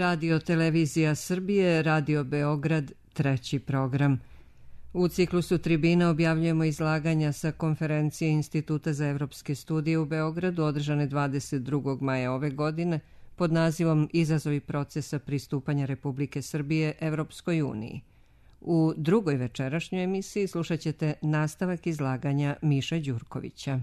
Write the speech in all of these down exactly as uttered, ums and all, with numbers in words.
Radio Televizija Srbije, Radio Beograd, treći program. U ciklusu Tribina objavljujemo izlaganja sa konferencije Instituta za evropske studije u Beogradu održane dvadeset drugog maja ove godine pod nazivom Izazovi procesa pristupanja Republike Srbije Evropskoj uniji. U drugoj večerašnjoj emisiji slušat ćete nastavak izlaganja Miše Đurkovića.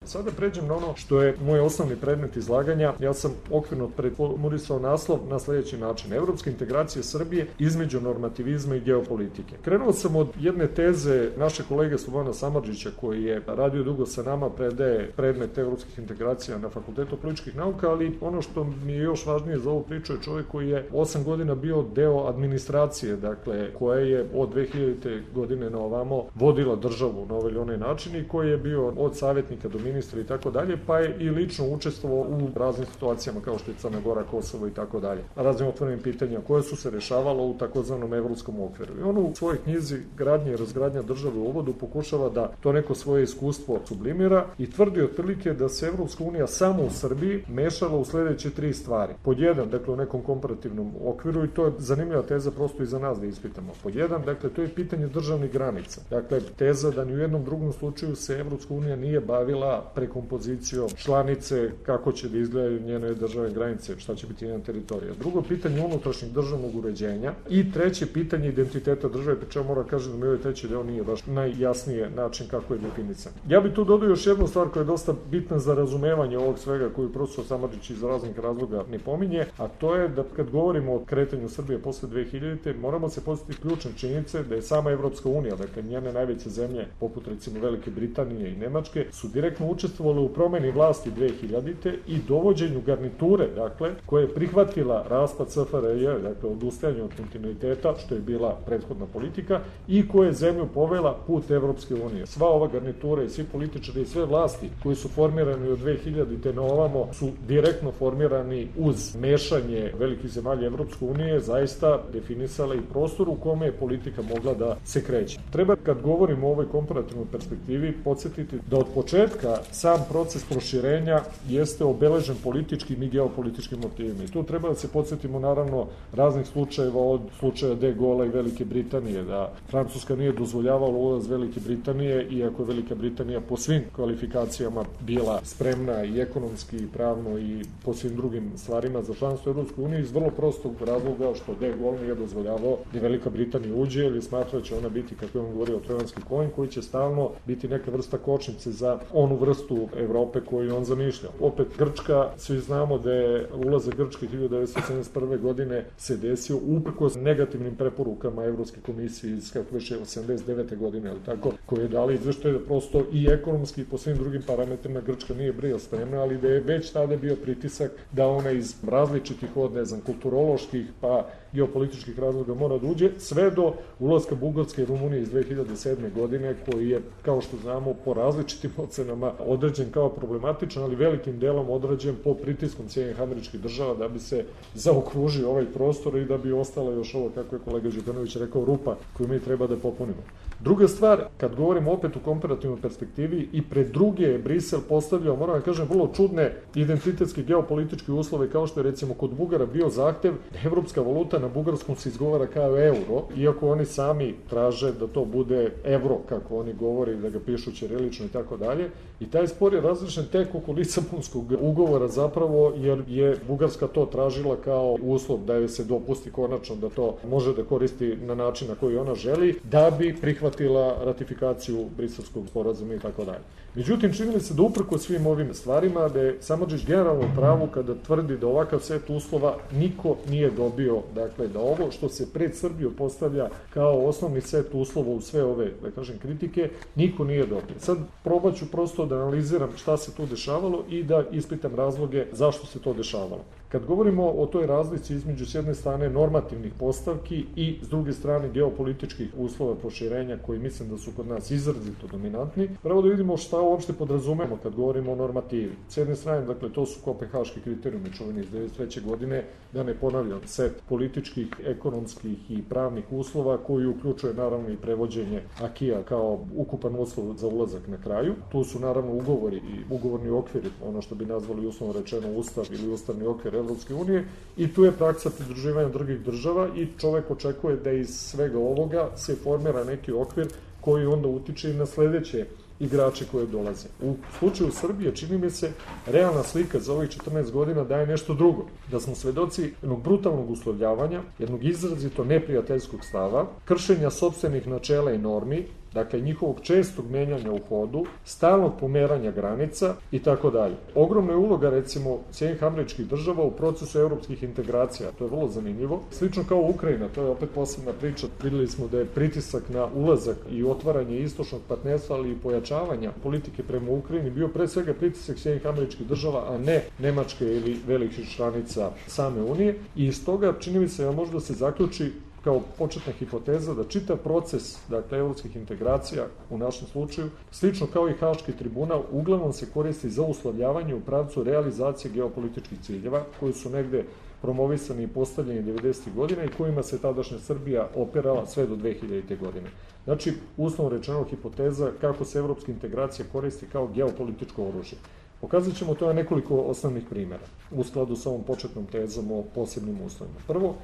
Sada pređem na ono što je moj osnovni predmet izlaganja. Ja sam okvirno preformulisao naslov na sljedeći način. Evropske integracije Srbije između normativizma i geopolitike. Krenuo sam od jedne teze naše kolege Slobodana Samardžića, koji je radio dugo sa nama, predaje predmet evropskih integracija na Fakultetu političkih nauka, ali ono što mi je još važnije za ovu priču je čovjek koji je osam godina bio deo administracije, dakle, koja je od dve hiljadite godine na ovamo vodila državu na ovaj ili onaj način i koji je bio od savjetnika do ministra i tako dalje, pa je i lično učestvovao u raznim situacijama kao što je Crna Gora, Kosovo i tako dalje. Raznim otvorenim pitanja koje su se rešavalo u takozvanom evropskom okviru. I on u svojoj knjizi Gradnja i razgradnja države u uvodu pokušava da to neko svoje iskustvo sublimira i tvrdi otprilike da se Evropska unija samo u Srbiji mešala u sledeće tri stvari. Pod jedan, dakle u nekom komparativnom okviru, i to je zanimljiva teza prosto i za nas da ispitamo. Pod jedan, dakle to je pitanje državnih granica. Dakle, teza da ni u jednom drugom slučaju se Evropska unija nije bavila prekompozicijom članice, kako će da izgledaju njene državne granice, šta će biti njena teritorija. Drugo pitanje unutrašnjeg državnog uređenja i treće pitanje identiteta države, pri čemu moram kažem da mi ovaj treći deo nije baš najjasnije način kako je definisan. Ja bih tu dodao još jednu stvar koja je dosta bitna za razumevanje ovog svega koju profesor Samardžić iz raznih razloga ne pominje, a to je da kad govorimo o kretanju Srbije posle dve hiljadite moramo se podsjetiti ključne činjenice da je sama Evropska unija, dakle njene najveće zemlje poput recimo Velike Britanije i Nemačke su direktno učestvovali u promeni vlasti dve hiljadite i dovođenju garniture, dakle, koja je prihvatila raspad S F R J, dakle, odustajanje od kontinuiteta, što je bila prethodna politika, i koja je zemlju povela put Evropske unije. Sva ova garnitura i svi političari i sve vlasti koji su formirani od dve hiljadite na ovamo su direktno formirani uz mešanje velikih zemalja Evropske unije, zaista definisala i prostor u kome je politika mogla da se kreće. Treba, kad govorimo o ovoj komparativnoj perspektivi, podsjetiti da od početka sam proces proširenja jeste obeležen političkim i geopolitičkim motivima. I tu treba da se podsjetimo naravno raznih slučajeva, od slučaja De Gaulle'a i Velike Britanije, da Francuska nije dozvoljavala ulaz Velike Britanije, iako je Velika Britanija po svim kvalifikacijama bila spremna i ekonomski i pravno i po svim drugim stvarima za članstvo u Evropskoj uniji, iz vrlo prostog razloga što De Gaulle nije dozvoljavao da Velika Britanija uđe, ili smatra će ona biti, kako je on govorio, trojanski konj koji će stalno biti neka vrsta kočnice za onu vrstu Evrope koju on zamišljao. Opet Grčka, svi znamo da je ulazak Grčke hiljadu devetsto sedamdeset prve godine se desio uprkos negativnim preporukama Evropske komisije iz kako već osamdeset devete godine, ali tako, koje je dali izveštaj da prosto i ekonomski i po svim drugim parametrima Grčka nije bila spremna, ali da je već tada bio pritisak da ona iz različitih od, ne znam, kulturoloških pa geopolitičkih razloga mora da uđe, sve do ulaska Bugarske i Rumunije iz dve hiljade sedme godine, koji je, kao što znamo, po različitim ocenama određen kao problematičan, ali velikim delom određen po pritiskom Sjedinjenih Američkih Država da bi se zaokružio ovaj prostor i da bi ostala još ovo, kako je kolega Đukanović rekao, rupa koju mi treba da popunimo. Druga stvar, kad govorimo opet u komparativnoj perspektivi, i pred druge je Brisel postavljao, moram da kažem, vrlo čudne identitetske geopolitičke uslove, kao što je recimo kod Bugara bio zahtev da evropska valuta na bugarskom se izgovara kao euro, iako oni sami traže da to bude evro, kako oni govore, da ga pišu ćirilično i tako dalje. I taj spor je različen tek oko Lisabonskog ugovora zapravo, jer je Bugarska to tražila kao uslov da joj se dopusti konačno da to može da koristi na način na koji ona želi, da bi prihvatila ratifikaciju Briselskog sporazuma i tako dalje. Međutim, čini se da uprko svim ovim stvarima, da je Samardžić generalno u pravu kada tvrdi da ovakav set uslova niko nije dobio, dakle da ovo što se pred Srbiju postavlja kao osnovni set uslova u sve ove, da kažem, kritike, niko nije dobio. Sad probat ću prosto da analiziram šta se tu dešavalo i da ispitam razloge zašto se to dešavalo. Kad govorimo o toj razlici između s jedne strane normativnih postavki i s druge strane geopolitičkih uslova proširenja koji mislim da su kod nas izrazito dominantni, pravo da vidimo šta uopšte podrazumemo kad govorimo o normativi. S jedne strane, dakle, to su kopenhaški kriterijumi čuveni iz devedeset treće godine, da ne ponavljam, set političkih, ekonomskih i pravnih uslova koji uključuje naravno i prevođenje akija kao ukupan uslov za ulazak na kraju. Tu su naravno ugovori i ugovorni okviri, ono što bi nazvali uslovno rečeno ustav ili ustavni okvir Evropske unije i tu je praksa pridruživanja drugih država i čovek očekuje da iz svega ovoga se formira neki okvir koji onda utiče i na sledeće igrače koje dolaze. U slučaju Srbije, čini mi se, realna slika za ovih četrnaest godina daje nešto drugo. Da smo svedoci jednog brutalnog uslovljavanja, jednog izrazito neprijateljskog stava, kršenja sopstvenih načela i normi, dakle njihovog čestog menjanja u hodu, stalnog pomeranja granica i tako dalje. Ogromna je uloga, recimo, Sjedinjenih Američkih Država u procesu evropskih integracija, to je vrlo zanimljivo. Slično kao Ukrajina, to je opet posebna priča. Videli smo da je pritisak na ulazak i otvaranje istočnog partnerstva, ali i pojačavanja politike prema Ukrajini bio pre svega pritisak Sjedinjenih Američkih Država, a ne Nemačke ili velikih članica same Unije. I iz toga, čini mi se, da može da se zaključi kao početna hipoteza da čitav proces, dakle, evropskih integracija u našem slučaju, slično kao i Haški tribunal, uglavnom se koristi za uslovljavanje u pravcu realizacije geopolitičkih ciljeva, koji su negde promovisani i postavljeni devedesetih godina i kojima se tadašnja Srbija operala sve do dve hiljadite. godine. Znači, uslovno rečeno, hipoteza kako se evropska integracija koristi kao geopolitičko oružje. Pokazat ćemo to na nekoliko osnovnih primjera, u skladu sa ovom početnom tezom o posebnim uslovima. Prvo,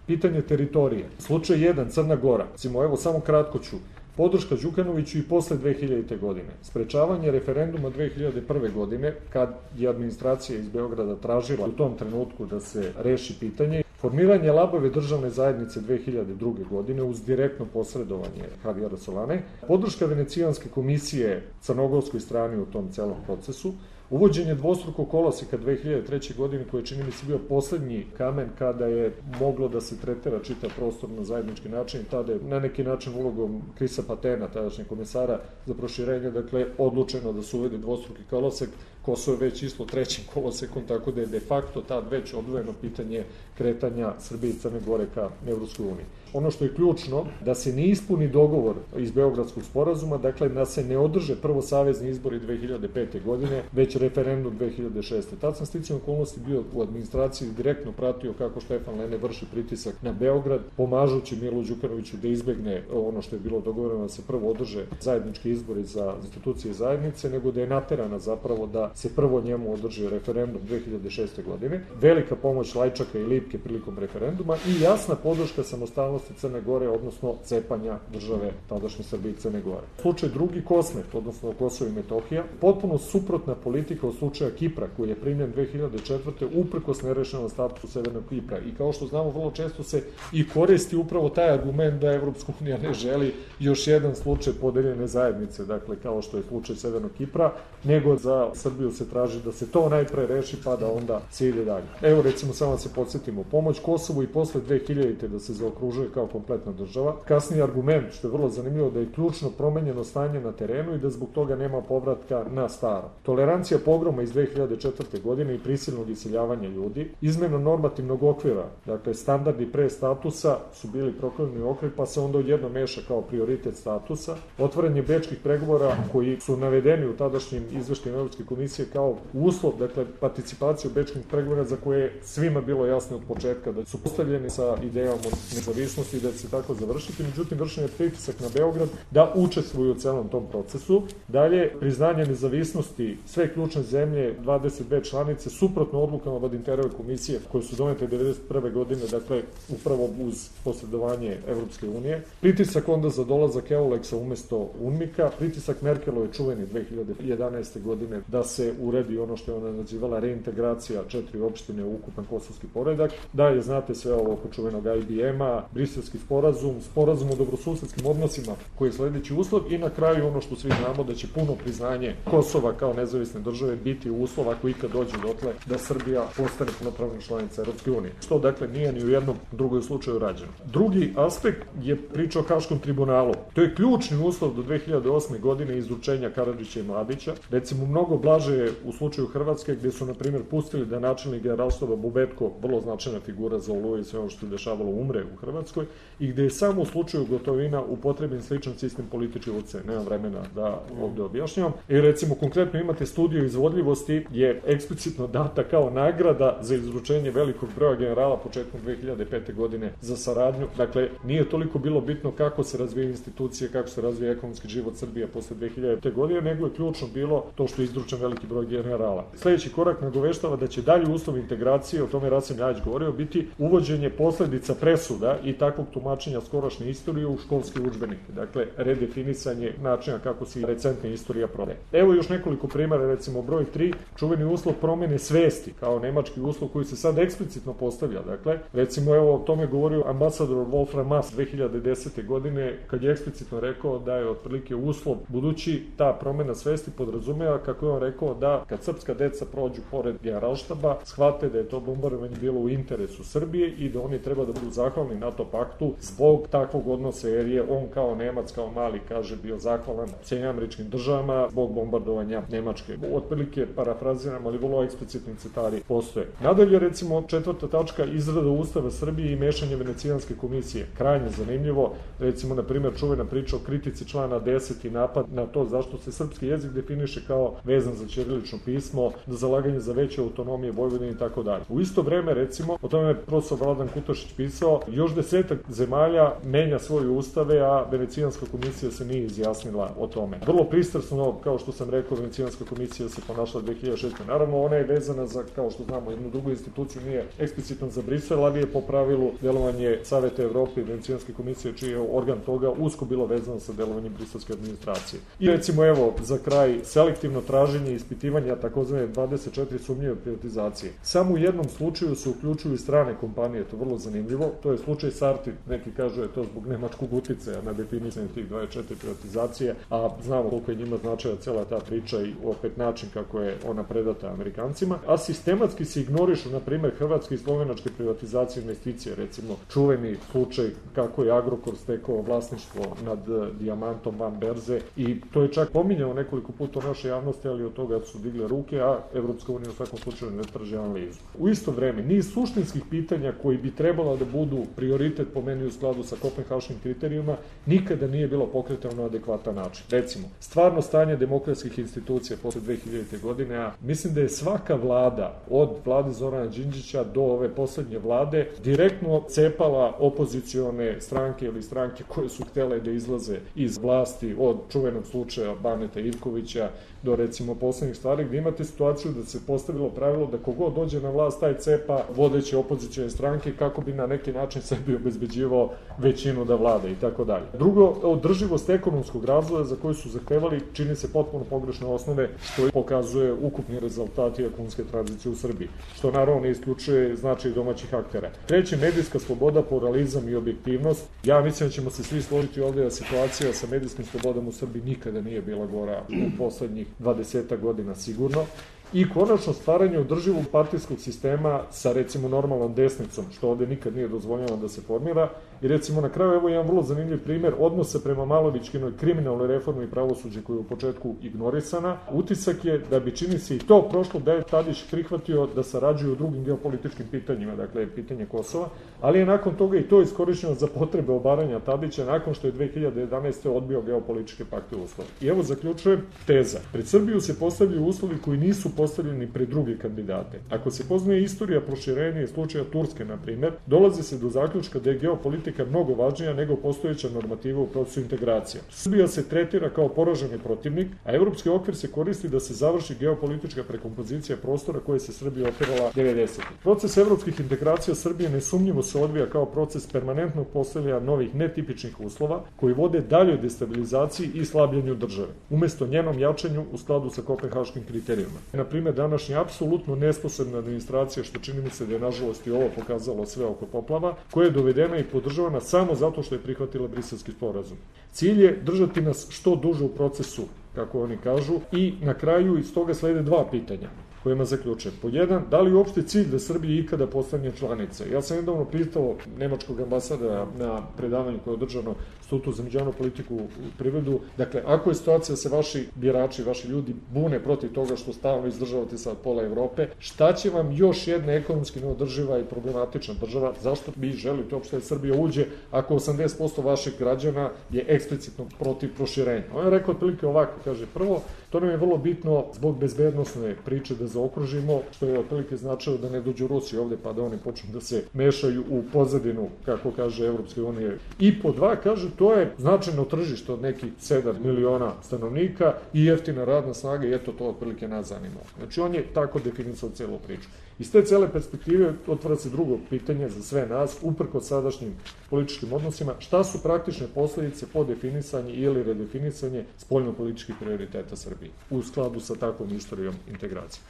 pitanje teritorije. Slučaj jedan, Crna Gora. Recimo, evo, samo kratko ću. Podrška Đukanoviću i posle dve hiljadite. godine. Sprečavanje referenduma dve hiljade prve. godine, kad je administracija iz Beograda tražila u tom trenutku da se reši pitanje. Formiranje labave državne zajednice dve hiljade druge. godine uz direktno posredovanje Javijera Solane. Podrška Venecijanske komisije crnogorskoj strani u tom celom procesu. Uvođenje dvostrukog koloseka dve hiljade treće. godine, koji je, čini mi se, bio poslednji kamen kada je moglo da se tretira čitav prostor na zajednički način, tada je na neki način ulogom Krisa Patena, tadašnjeg komesara za proširenje, dakle, odlučeno da se uvede dvostruki kolosek. Kosovo je već išlo trećim kolosekom, tako da je de facto tad već odvojeno pitanje kretanja Srbije i Crne Gore ka Evropskoj uniji. Ono što je ključno, da se ne ispuni dogovor iz Beogradskog sporazuma, dakle da se ne održe prvo savezni izbori dve hiljade pete. godine, već referendum dve hiljade šeste. Tad sam sticajem okolnosti bio u administraciji, direktno pratio kako Štefan Lene vrši pritisak na Beograd, pomažući Milu Đukanoviću da izbegne ono što je bilo dogovoreno, da se prvo održe zajednički izbori za institucije zajednice, nego da je naterana zapravo da se prvo njemu održi referendum dve hiljade šeste. godine. Velika pomoć Lajčaka i Lipke prilikom referenduma i jasna podrška samostalnosti Crne Gore, odnosno cepanja države tadašnje Srbije i Crne Gore. Slučaj drugi, Kosmet, odnosno Kosovo i Metohija, potpuno suprotna politika od slučaja Kipra, koji je primljen dve hiljade četvrte. uprkos nerešenom statusu Severnog Kipra. I kao što znamo, vrlo često se i koristi upravo taj argument da Evropska unija ne želi još jedan slučaj podeljene zajednice, dakle, kao što je slučaj Severnog Kipra, nego za Srbiju se traži da se to najpre reši, pa da onda se ide dalje. Evo, recimo, samo se podsjetimo, pomoć Kosovu i posle dve hiljadite. da se zaokružuje kao kompletna država. Kasniji argument, što je vrlo zanimljivo, da je ključno promenjeno stanje na terenu i da zbog toga nema povratka na staro. Tolerancija pogroma iz dve hiljade četvrte. godine i prisilnog iseljavanja ljudi, izmena normativnog okvira, dakle, standardi pre statusa su bili proklonjeni okvir, pa se onda odjedno meša kao prioritet statusa, otvaranje bečkih pregovora koji su navedeni u tadašnjim izveštajima Evropske komisije kao uslov, dakle, participacije u bečkih pregovora za koje je svima bilo jasno od početka da su postavljeni sa idejom od nezavisnosti i da će se tako završiti, međutim, vršen je pritisak na Beograd da učestvuju u celom tom procesu. Dalje, priznanje nezavisnosti sve ključne zemlje, dvadeset dve članice, suprotno odlukama Badinterove komisije koje su donete devedeset prve. godine, dakle, upravo uz posredovanje Evropske unije. Pritisak onda za dolazak Euleksa umesto UNMIK-a, pritisak Merkelove čuveni dve hiljade jedanaeste. godine da se uredi ono što je ona nazivala reintegracija četiri opštine u ukupan kosovski poredak. Dalje, znate sve ovo oko čuvenog I B M-a, Briselski sporazum, sporazum o dobrosusedskim odnosima koji je sledeći uslov i na kraju ono što svi znamo da će puno priznanje Kosova kao nezavisne države biti uslov ako ikad dođe dotle da Srbija postane punopravna članica Evropske unije. Što dakle nije ni u jednom drugom slučaju rađeno. Drugi aspekt je priča o Haškom tribunalu. To je ključni uslov do dve hiljade osme. godine izručenja Karadžića i Mladića. Recimo, mnogo blaže je u slučaju Hrvatske gde su, na primjer, pustili da načelnik generalštaba Bubetko, vrlo značajna figura za Oluju i sve ono što je dešavalo, umre u Hrvatskoj i gde je samo u slučaju Gotovina upotrebljen sličan sistem političke ucene. Nemam vremena da ovde objašnjavam. I recimo, konkretno imate studiju izvodljivosti je eksplicitno data kao nagrada za izručenje velikog broja generala početkom dve hiljade pete. godine za saradnju. Dakle, nije toliko bilo bitno kako se razvije institucije, kako se razvije ekonomski život Srbije posle dve hiljade pete. godine, nego je ključno bilo to što je izručen veliki veliki broj generala. Sljedeći korak nagoveštava da će dalji uslov integracije, o tome Rasim Ljajić govorio, biti uvođenje posledica presuda i takvog tumačenja skorašnje istorije u školske udžbenike. Dakle, redefinisanje načina kako se recentna istorija prodaje. Evo još nekoliko primjera, recimo broj tri, čuveni uslov promjene svesti, kao nemački uslov koji se sad eksplicitno postavlja. Dakle, recimo evo o tome govorio ambasador Wolfram Maass dve hiljade desete godine, kad je eksplicitno rekao da je otprilike uslov, budući ta promjena svesti podrazumeva, kako je on rekao, da kad srpska deca prođu pored Generalštaba, shvate da je to bombardovanje bilo u interesu Srbije i da oni treba da budu zahvalni NATO paktu zbog takvog odnosa, jer je on kao Nemac, kao mali, kaže, bio zahvalan Sjedinjenim Američkim Državama zbog bombardovanja Nemačke. Otprilike parafraziram, ali vrlo eksplicitni citari postoje. Nadalje, recimo, četvrta tačka, izrada Ustava Srbije i mešanje Venecijanske komisije. Krajnje zanimljivo, recimo, na primjer, čuvena priča o kritici člana deset i napad na to zašto se srpski jezik definiše kao vezan za ćirilično pismo, da zalaganje za veće autonomije Vojvodine i tako dalje. U isto vreme, recimo, o tome je profesor Vladan Kutašić pisao, još desetak zemalja menja svoje ustave, a Venecijanska komisija se nije izjasnila o tome. Vrlo pristrasno, kao što sam rekao, Venecijanska komisija se ponašala dve hiljade šeste. Naravno, ona je vezana za, kao što znamo, jednu drugu instituciju, nije eksplicitno za Brisel, ali je po pravilu delovanje Saveta Evrope i Venecijanske komisije, čiji je organ toga usko bilo vezano sa delovanjem briselske administracije. I recimo, evo, za kraj, selektivno traženje i ispitivanja takozvane dvadeset četiri sumnjive privatizacije. Samo u jednom slučaju se uključuju i strane kompanije, to je vrlo zanimljivo, to je slučaj Sartid, neki kažu je to zbog nemačkog uticaja na definisanje tih dvadeset četiri privatizacije, a znamo koliko je njima značila cela ta priča i opet način kako je ona predata Amerikancima, a sistematski se ignorišu, na primjer, hrvatske i slovenačke privatizacije investicije, recimo čuveni slučaj kako je Agrokor stekao vlasništvo nad Dijamantom van berze i to je čak pominjao nekoliko puta u našoj javnosti, ali od toga su digle ruke, a Evropska unija u svakom slučaju ne traži analizu. U isto vreme, niz suštinskih pitanja koji bi trebalo da budu prioritet po meni u skladu sa kopenhaškim kriterijuma nikada nije bilo pokretano na adekvatan način. Recimo, stvarno stanje demokratskih institucija posle dve hiljadite. godine, a mislim da je svaka vlada, od vlade Zorana Đinđića do ove poslednje vlade, direktno cepala opozicione stranke ili stranke koje su htele da izlaze iz vlasti, od čuvenog slučaja Baneta Ivkovića do recimo poslednjih stvari, gde imate situaciju da se postavilo pravilo da kogod dođe na vlast taj cepa vodeće opozicione stranke kako bi na neki način sebi obezbeđivao većinu da vlada i tako dalje. Drugo, održivost ekonomskog razvoja za koju su zahtevali čini se potpuno pogrešne osnove, što pokazuje ukupni rezultati ekonomske tranzicije u Srbiji, što naravno ne isključuje značaj domaćih aktera. Treće, medijska sloboda, pluralizam i objektivnost. Ja mislim da ćemo se svi složiti ovde da situacija sa medijskim slobodama u Srbiji nikada nije bila gora u poslednjih dvadeset godina sigurno. I konačno stvaranje održivog partijskog sistema sa recimo normalnom desnicom, što ovde nikad nije dozvoljeno da se formira. I recimo na kraju evo jedan vrlo zanimljiv primer odnosa prema Malovićkinoj kriminalnoj reformi i pravosuđe koja je u početku ignorisana. Utisak je da bi čini se i to prošlo da je Tadić prihvatio da sarađuju u drugim geopolitičkim pitanjima, dakle pitanje Kosova, ali je nakon toga i to iskorišćeno za potrebe obaranja Tadića nakon što je dve hiljade jedanaeste. odbio geopolitičke pakte uslove. I evo zaključujem teza. Pred Srbiju se postavljaju uslovi koji nisu postavljeni pred druge kandidate. Ako se poznaje istorija proširenja i slučaja Turske, na primjer, dolazi se do zaključka da je geopolitika mnogo važnija nego postojeća normativa u procesu integracija. Srbija se tretira kao poraženi protivnik, a evropski okvir se koristi da se završi geopolitička prekompozicija prostora koje se Srbija opirala devedesetih. Proces evropskih integracija Srbije nesumnjivo se odvija kao proces permanentnog postavljanja novih netipičnih uslova koji vode daljoj destabilizaciji i slabljenju države, umesto njenom jačanju u skladu sa kopenhaškim kriterijima. Na primjer, današnja apsolutno nesposobna administracija, što čini mi se da je nažalost i ovo pokazalo sve oko poplava, koja je dovedena i podržavana samo zato što je prihvatila Briselski sporazum. Cilj je držati nas što duže u procesu, kako oni kažu, i na kraju iz toga slede dva pitanja kojima zaključujem. Pod jedan, da li je uopšte cilj da Srbija ikada postane članica? Ja sam nedavno pitao nemačkog ambasadora na predavanju koje je održano Institutu za međunarodnu politiku u privredu. Dakle, ako je situacija da se vaši birači, vaši ljudi bune protiv toga što stalno izdržavate sad pola Evrope, šta će vam još jedna ekonomski neodrživa i problematična država? Zašto vi želite uopšte da Srbija uđe ako osamdeset posto vaših građana je eksplicitno protiv proširenja? On je rekao otprilike ovako, kaže, prvo, to nam je vrlo bitno zbog bezbednosne priče da zaokružimo, što je otprilike značilo da ne dođu Rusi ovde pa da oni počnu da se mešaju u pozadinu, kako kaže Evropske unije. I po dva, kaže, to je značajno tržište od nekih sedam miliona stanovnika i jeftina radna snaga i eto to otprilike nas zanima. Znači on je tako definisao celu priču. Iz te cele perspektive otvara se drugo pitanje za sve nas, uprkos sadašnjim političkim odnosima, šta su praktične posledice po definisanje ili redefinisanje spoljno-političkih prioriteta Srbije u skladu sa takvom istorijom integracije.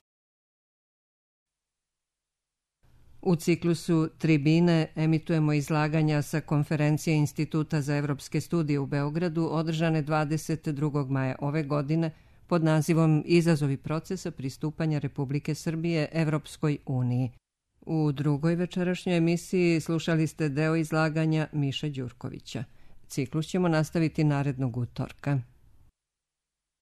U ciklusu Tribine emitujemo izlaganja sa konferencije Instituta za evropske studije u Beogradu održane dvadeset drugog maja ove godine pod nazivom Izazovi procesa pristupanja Republike Srbije Evropskoj uniji. U drugoj večerašnjoj emisiji slušali ste deo izlaganja Miše Đurkovića. Ciklus ćemo nastaviti narednog utorka.